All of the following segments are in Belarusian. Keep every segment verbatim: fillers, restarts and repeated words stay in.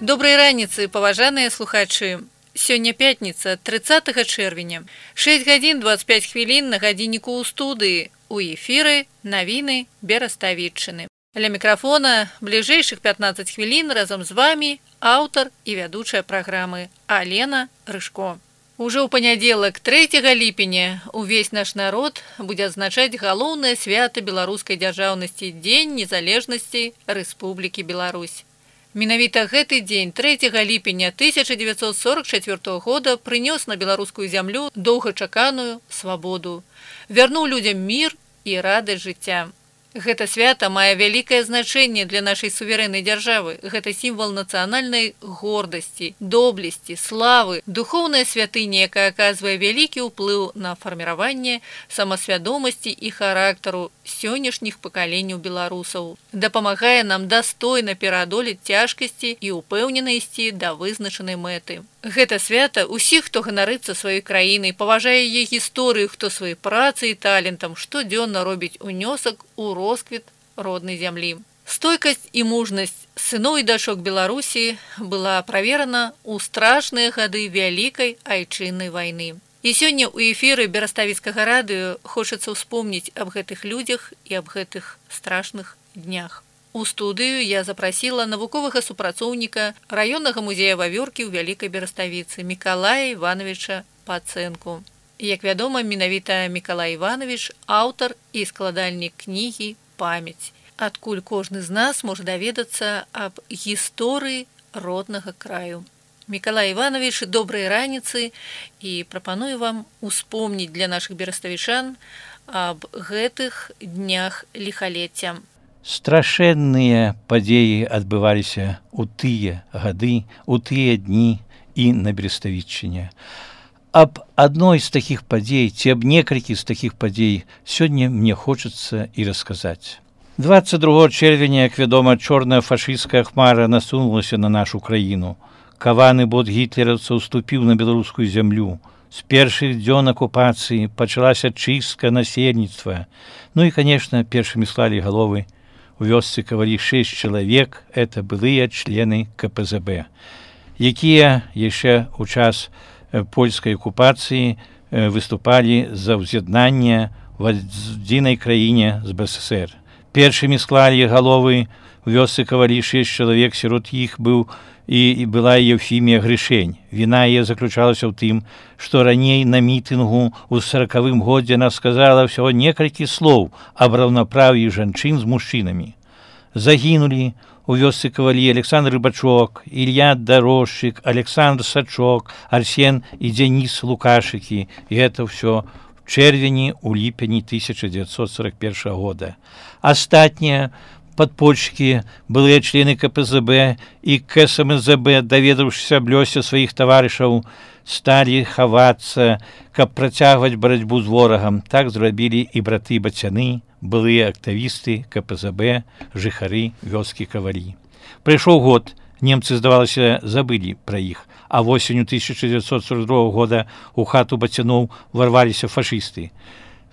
Добрай раніцы, паважаныя слухачы. Сёння пятніца, трыццатага чэрвеня. шэсць гадзін дваццаць пяць хвілін на гадзінніку ў студыі. У эфіры навіны Бераставіччыны. Ля мікрафона бліжэйшых пятнаццаць хвілін разам з вамі аўтар і вядучая праграмы Алена Рыжко. Ужо ў панядзелак трэцяга ліпеня увесь наш народ будзе адзначаць галоўнае свята беларускай дзяржаўнасці Дзень незалежнасці Рэспублікі Беларусь. Менавіта гэты дзень трэцяга ліпеня тысяча дзевяцьсот сорок чацвёртага года прынёс на беларускую зямлю доўгачаканую свабоду, вярнуў людзям мір і радасць жыцця. Гэта свята мае вялікае значэнне для нашай суверэннай дзяржавы. Гэта сімвал нацыянальнай гордасці, доблесці, славы, духоўная святыня, якая аказвае вялікі ўплыў на фарміраванне самасвядомасці і характару сённяшніх пакаленняў беларусаў. Дапамагае нам дастойна пераадолець цяжкасці і ўпэўнена ісці да вызначанай мэты. Гэта свята ўсіх, хто ганарыцца сваёй краінай, паважае яе гісторыю, хто сваёй працай і талентам штодзённа робіць унёсак у росквіт роднай зямлі. Стойкасць і мужнасць сыноў і дачок Беларусі была праверана ў страшныя гады вялікай айчыннай вайны. І сёння ў эфіры Бераставіцкага радыё хочацца ўспомніць аб гэтых людзях і аб гэтых страшных днях. У студыю я запрасіла навуковага супрацоўніка раённага музея Вавёркі ў Вялікай Бераставіцы Мікалая Івановича Пацэнку. Як вядома, менавіта Мікалай Іванович аўтар і складальнік кнігі «Памяць», адкуль кожны з нас можа даведацца аб гісторыі роднага краю. Мікалай Іванович, добрай раніцы, і прапаную вам успомніць для нашых бераставічан аб гэтых днях ліхалецця. Страшэнныя падзеі адбываліся ў тыя гады, у тыя дні і на Бераставіччыне. Аб адной з такіх падзей, ці аб некалькі з такіх падзей сёння мне хочацца і расказаць. дваццаць другога чэрвеня, як вядома, чорная фашысцкая хмара насунулася на нашу краіну. Каваны бот гітлераўцаў уступіў на беларускую зямлю. З першых дзён акупацыі пачалася чыстка насельніцтва. Ну і, канешне, першымі склалі галовы у вёсцы кавалі шэсць чалавек, это былыя члены ка пэ зэ бэ, якія яшчэ ў час польскай акупацыі выступалі за ўз'яднанне в адзінай краіне з бэ эс эсэр. Першымі склалі галовы у вёсцы кавалі шэсць чалавек, сярод іх быў і была Еўфімія Грышэнь. Віна яе заключалася ў тым, што раней на мітынгу ў саракавым годзе яна сказала ўсяго некалькі слоў аб раўнапраўі жанчын з мужчынамі. Загінулі у вёсцы кавалі Александр Рыбачок, Ілья Дарожчык, Александр Сачок, Арсен і Дзяніс Лукашыкі. І гэта ўсё в чэрвені, у ліпені тысяча дзевяцьсот сорок першага года. Астатнія падпольшчыкі, былыя члены ка пэ зэ бэ і ка эс эм зэ бэ, даведаўшыся аб лёсе сваіх таварышаў, сталі хавацца, каб працягваць барацьбу з ворагам. Так зрабілі і браты-бацяны, былыя актывісты ка пэ зэ бэ, жыхары вёскі кавалі. Прайшоў год, немцы, здавалася, забылі пра іх, а восенню тысяча дзевяцьсот сорок другога года ў хату бацяноў варваліся фашысты.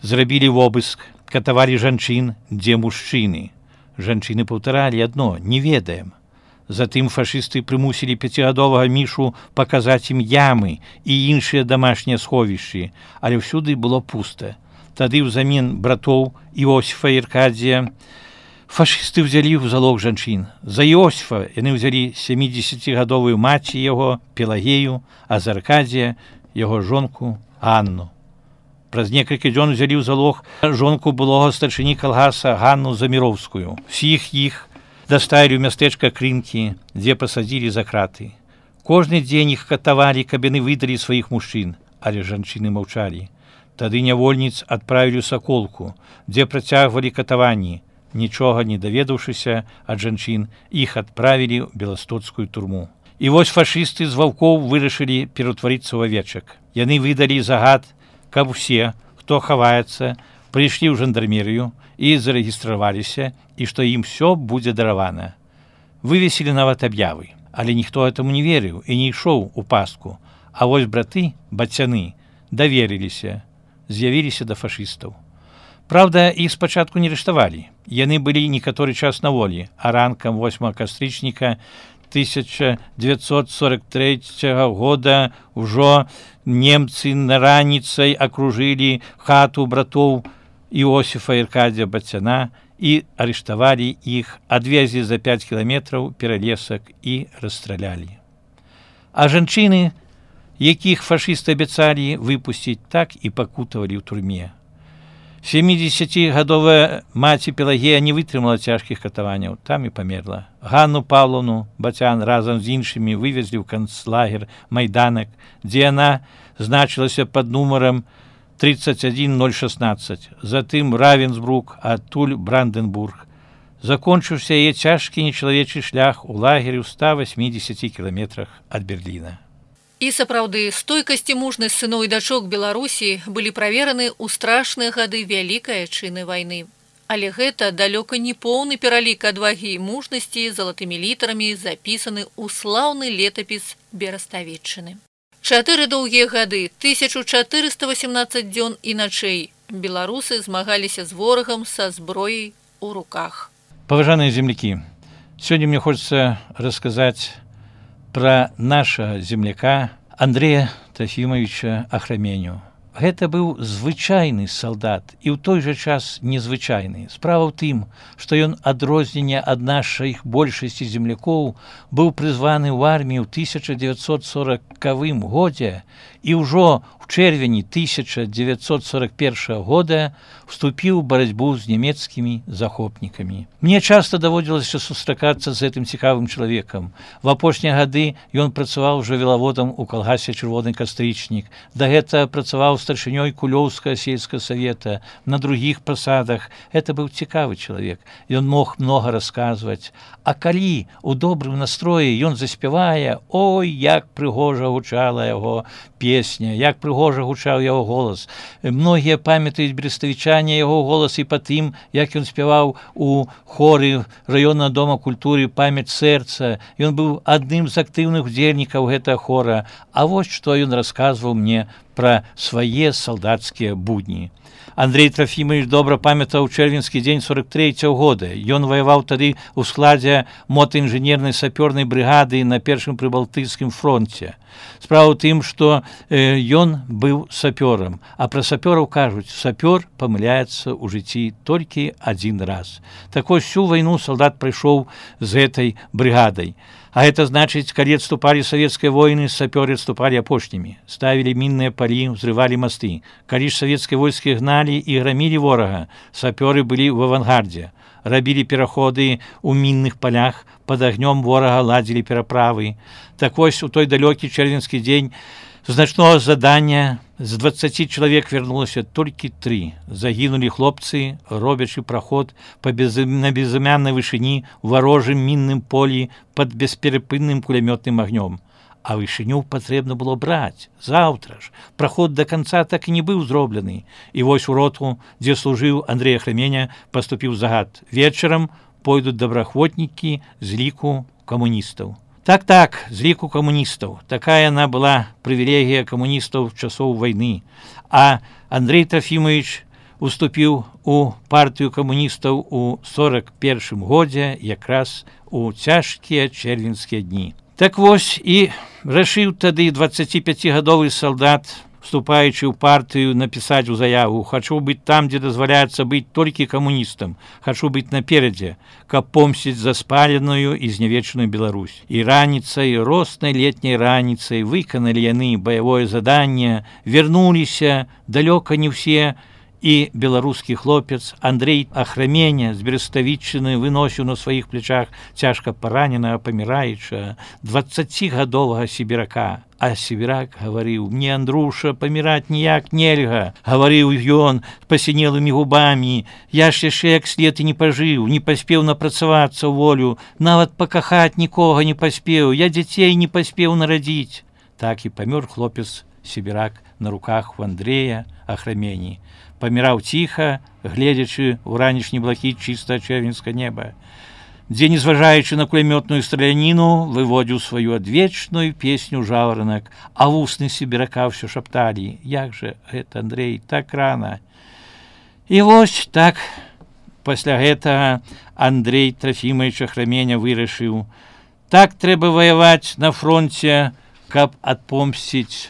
Зрабілі вобыск, катавалі жанчын, дзе мужчыны. Жанчыны паўтаралі адно: не ведаем. Затым фашысты прымусілі пяцігадовага мішу паказаць ім ямы і іншыя дамашнія сховішчы, але ўсюды было пуста. Тады ўзамен братоў Іосіфа і Аркадзія фашысты ўзялі ў залог жанчын. За Іосіфа яны ўзялі сямідзесяцігадовую маці яго Пелагею, а за Аркадзія яго жонку Анну. Праз некалькі дзён узялі ў залог жонку былога старшыні калгаса Ганну Заміроўскую. Усіх іх даставілі ў мястэчка Крынкі, дзе пасадзілі за краты. Кожны дзень іх катавалі, каб яны выдалі сваіх мужчын, але жанчыны маўчалі. Тады нявольніц адправілі ў Саколку, дзе працягвалі катаванні. Нічога не даведаўшыся ад жанчын, іх адправілі ў беластоцкую турму. І вось фашысты з ваўкоў вырашылі пераўтварыцца ў авечак. Яны выдалі загад, каб усе, хто хаваецца, прыйшлі ў жандармерыю і зарэгістраваліся, і што ім всё будзе даравана. Вывесілі нават аб'явы, але ніхто гэтаму не верыў і не ішоў у пастку. А вось браты, бацяны, даверыліся, з'явіліся да фашыстаў. Праўда, іх спачатку не арыштавалі. Яны былі некаторы час на волі, а ранкам восьмага кастрычніка тысяча девятьсот сорок третьего года ўжо немцы раніцай акружылі хату братоў Іосіфа і Аркадія Бацяна і арыштавалі іх, адвезлі за пять кіламетраў пералесак і расстралялі. А жанчыны, якіх фашысты абяцалі выпусціць, так і пакутавалі ў турме. семидесятигадовая маці Пелагея не вытрымала цяжкіх катаванняў, там і памерла. Ганну Павловну Бацян разам з іншымі вывезлі ў канцлагер Майданак, дзе яна значылася пад нумарам тридцать один ноль шестнадцать, затым Равенсбрук, адтуль Бранденбург. Закончыўся яе цяжкі нечалавечы шлях у лагеры ў ста восьмидесяти кіламетрах ад Берліна. І сапраўды, стойкасць і мужнасць сыноў і дачок Беларусі былі правераны ў страшныя гады вялікай адчыны вайны. Але гэта далёка не поўны пералік адвагі і мужнасці залатымі літарамі запісаны ў слаўны летапіс Бераставеччыны. Чатыры доўгія гады, тысяча чатырыста восемнадцаць дзён і начэй беларусы змагаліся з ворагам са зброяй у руках. Паважаныя землякі, сёння мне хочется рассказать про нашего земляка Андрея Трофимовича Ахраменю. Гэта быў звычайны салдат і ў той жа час незвычайны. Справа ў тым, што ён адрозненне ад нашых большасці землякоў быў прызваны ў армію ў тысяча девятьсот сорокавым годзе і ўжо ў чэрвені тысяча девятьсот сорок первого года вступіў у барацьбу з нямецкімі захопнікамі. Мне часта даводзілася сустракацца з гэтым цікавым чалавекам. В апошнія гады ён працаваў жывёлаводам у калгасе «Чырвоны кастрычнік». Дагэтуль працаваў старшынёй Кулёўскага сельскага савета, на другіх пасадах. Это быў цікавы чалавек. Ён мог многа расказваць. А калі у добрым настроі ён заспявае, ой, як прыгожа гучала яго песня, як прыгожа гучаў яго голас. Многія памятаюць бераставічане яго голас і па тым, як ён спяваў у хоры раённага дома культуры «Памяць сэрца». Ён быў адным з актыўных удзельнікаў гэтага хора. А вось што ён расказваў мне пра свае салдацкія будні. Андрей Трофимович добра памятаў чэрвеньскі дзень сорок трэцяга года. Ён ваяваў тады ў складзе мотаінжынернай сапёрнай брыгады на першым прыбалтыйскім фронте. Справа ў тым, што э, ён быў сапёрам, а пра сапёраў кажуць, сапёр памыляецца ў жыцці толькі адзін раз. Так вось всю вайну салдат прайшоў з гэтай брыгадай. А это значыць, калі адступалі савецкія войны, сапёры адступалі апошнімі, ставілі мінныя палі, ўзрывалі масты. Калі ж савецкія войскі гналі і грамілі ворага, сапёры былі ў авангардзе, рабілі пераходы ў мінных палях, пад агнём ворага ладзілі пераправы. Так вось у той далёкі чэрвеньскі дзень значного задання з дваццаці чалавек вярнулася толькі тры. Загінулі хлопцы, робячы праход па без... на безымяннай вышыні ў варожым мінным полі пад бесперапынным кулямётным агнём. А вышыню патрэбна было браць. Заўтра ж. Праход да канца так і не быў зроблены. І вось у роту, дзе служыў Андрей Ахраменя, паступіў загад. Вечарам пойдуць добраахвотнікі з ліку камуністаў. Так-так, з ліку камуністаў. Такая яна была прывілегія камуністаў часоў вайны. А Андрей Трофимович уступіў у партыю камуністаў у сорок першым годзе, якраз у цяжкія чэрвеньскія дні. Так вось і рашыў тады дваццаціпяцігадовы салдат, вступаючы ў партыю, напісаць у заяву: «Хачу быць там, дзе дазваляецца быць толькі камуністам. Хачу быць наперадзе, каб помсціць за спаленую і знявечаную Беларусь». І раніцай, роснай летняй раніцай выканалі яны баявое заданне, вярнуліся, далёка не ўсе, і беларускі хлопец Андрей Ахраменя з Бераставеччыны выносіў на сваіх плечах цяжка параненага, паміраючага дваццацігадовага сібірака. А сібірак гаварыў: «Мне, Андруша, паміраць ніяк нельга», гаварыў ён пасінелымі губамі. «Я ж яшчэ як след і не пажыў, не паспеў напрацавацца ў волю, нават пакахаць нікога не паспеў, я дзяцей не паспеў нарадзіць». Так і памёр хлопец сібірак на руках у Андрея Ахрамені. Паміраў ціха, гледзячы ў ранішні блакіт чыстае чэрвеньскае неба, дзе, незважаючы на кулямётную страляніну, выводзіў сваю адвечную песню жаўранак, а вусны сібірака ўсё шапталі: «Як жа гэта, Андрей, так рана». І вось так пасля гэтага Андрей Трофимович Ахраменя вырашыў Так трэба ваяваць на фронте, каб адпомсціць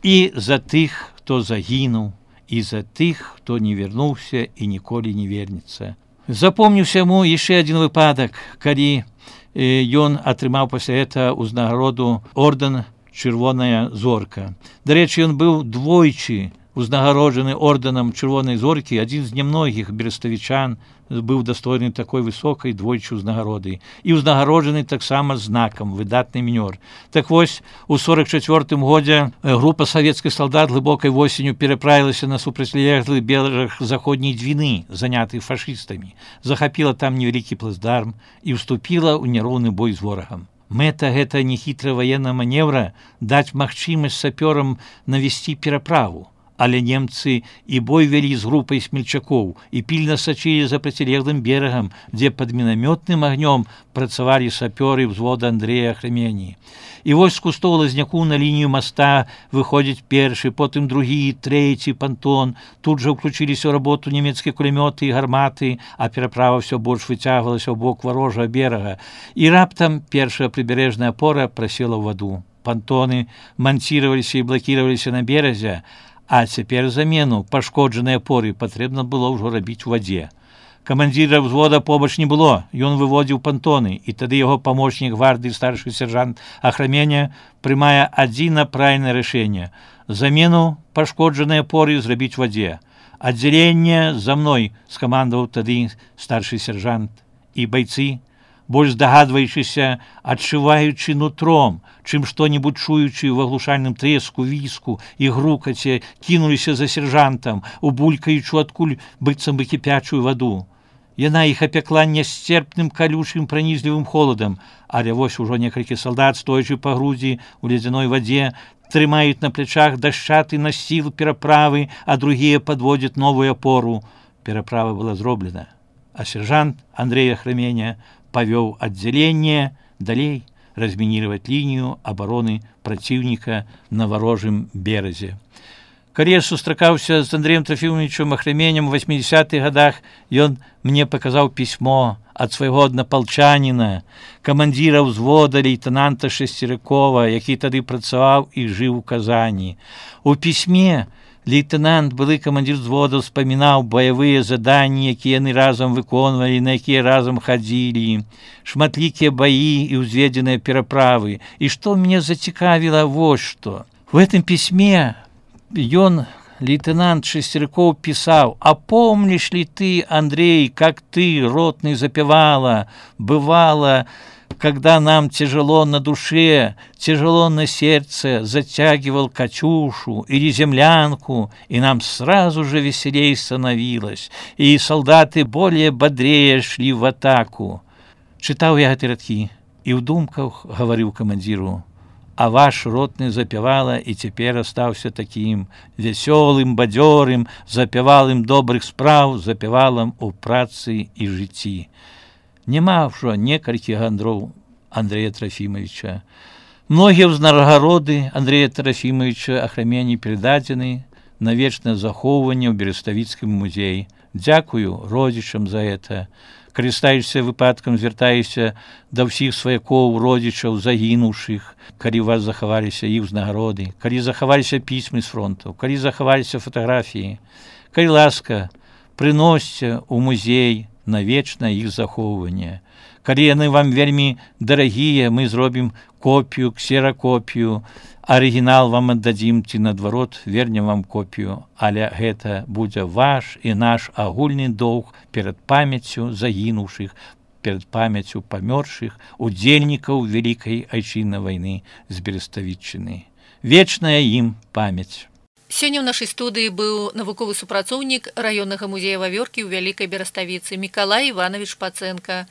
і за тых, хто загінуў, і за тых, хто не вярнуўся і ніколі не вернецца. Запомніўся яму яшчэ адзін выпадак, калі ён атрымаў пасля гэта ўзнагароду ордэн «Чырвоная зорка». Дарэчы, ён быў двойчы узнагароджаны ордэнам «Чырвонай зоркі», адзін з нямногіх бераставічан быў дастойны такой высокай двойчы ўзнагароды і ўзнагароджаны таксама знакам «Выдатны мінёр». Так вось, у сорок чацвёртым годзе група савецкіх салдат глыбокай восенню пераправілася на супрацьлеглы бераг заходняй Двіны, заняты фашыстамі, захапіла там невялікі плацдарм і ўступіла ў няроўны бой з ворагам. Мэта гэта нехітра ваенна маневра даць магчымасць сапёрам навесці пераправу. Але немцы і бой вялі з групай смельчакоў і пільна сачылі за процілеглым берагам, дзе пад мінамётным агнём працавалі сапёры взвода Андрэя Ахрамені. І вось з кустоў лазняку на лінію моста выходзіць першы, потым другі, трэці пантон. Тут жа ўключыліся ў работу нямецкія кулямёты і гарматы, а пераправа ўсё больш выцягвалася ў бок варожага берага. І раптам першая прыбярэжная апора прасела ў ваду. Пантоны мансіраваліся і блакіраваліся на беразе, а цяпер замену пашкоджанай апоры патрэбна было ўжо рабіць у вадзе. Камандзіра взвода побач не было, ён выводзіў пантоны, і тады яго памочнік гвардыі старшы сержант Ахраменя прымае адзіна правільнае рашэнне – замену пашкоджанай апоры зрабіць у вадзе. «Аддзяленне за мной!» – скамандаваў тады старшы сержант. І байцы, больш здагадваючыся, адчуваючы нутром, чым што-небудзь чуючы ў аглушальным трэску, віску і грукаце, кінуліся за сержантам, убулькаючы адкуль быццам бы кіпячую ваду. Яна іх апякла нясцерпным калючым пранізлівым холадам, але вось ужо некалькі салдат, стоячы па грудзі ў ледзяной вадзе, трымаюць на плячах дашчаты насіл пераправы, а другія падводзяць новую апору. Пераправа была зроблена, а сержант Андрей Ахраменя павёў аддзяленне далей размінировать лінію абароны праціўніка на варожым беразе. Калі я сустракаўся з Андреем Трофімовичем Ахраменем у восьмидесятых годах, ён мне паказаў пісьмо ад свайго аднапалчаніна, камандзіра ўзвода лейтенанта Шесцерыкова, які тады працаваў і жыў у Казані. У пісьме лейтенант, былы камандзір взвода, успамінаў баявыя заданні, якія яны разам выконвалі, на якія разам хадзілі, шматлікія баі і ўзведзеныя пераправы. І што мне зацікавіла вось што. У гэтым пісьме ён, лейтенант Шесцерыков, писал: «А помнишь ли ты, Андрей, как ты, ротный, запевала, бывало, когда нам тяжело на душе, тяжело на сердце, затягивал Катюшу или землянку, и нам сразу же веселей становилось, и солдаты более бодрее шли в атаку». Читал я эти радки и в думках говорил командиру: «А ваш ротный запевала и теперь остался таким веселым, бадьорым, запевалым добрых справ, запевалым у працы и житті». Нема ўжо некалькі гандроў Андрея Трофимовича. Многія ўзнагароды Андрея Трофимовича Ахрамені перададзены на вечнае захоўванне ў Бераставіцкім музеі. Дзякую родзічам за это. Карыстаючыся выпадкам, звяртаюся да ўсіх сваякоў, родзічаў, загінуўшых, калі у вас захаваліся іх узнагароды, калі захаваліся пісьмы з фронтаў, калі захаваліся фатаграфіі. Калі ласка, прыносьце ў музей на вечнае іх захоўванне. Калі яны вам вельмі дарагія, мы зробім копію, ксеракопію, арыгінал вам аддадзім ці, наадварот, вернем вам копію, але гэта будзе ваш і наш агульны доўг перад памяццю загінуўшых, перад памяццю памёршых удзельнікаў Вялікай Айчыннай вайны з Бераставіччыны. Вечная ім памяць. Сёння ў нашай студыі быў навуковы супрацоўнік раённага музея Вавёркі ў Вялікай Бераставіцы Мікалай Іванович Пацэнка,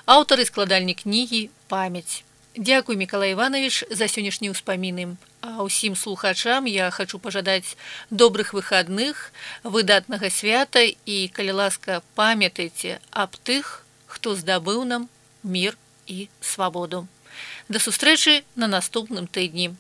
аўтар і складальнік кнігі «Памяць». Дзякуй, Мікалай Іванович, за сённяшнія ўспаміны. А ўсім слухачам я хачу пажадаць добрых выхадных, выдатнага свята і, калі ласка, памятайце аб тых, хто здабыў нам мір і свабоду. Да сустрэчы на наступным тыдні.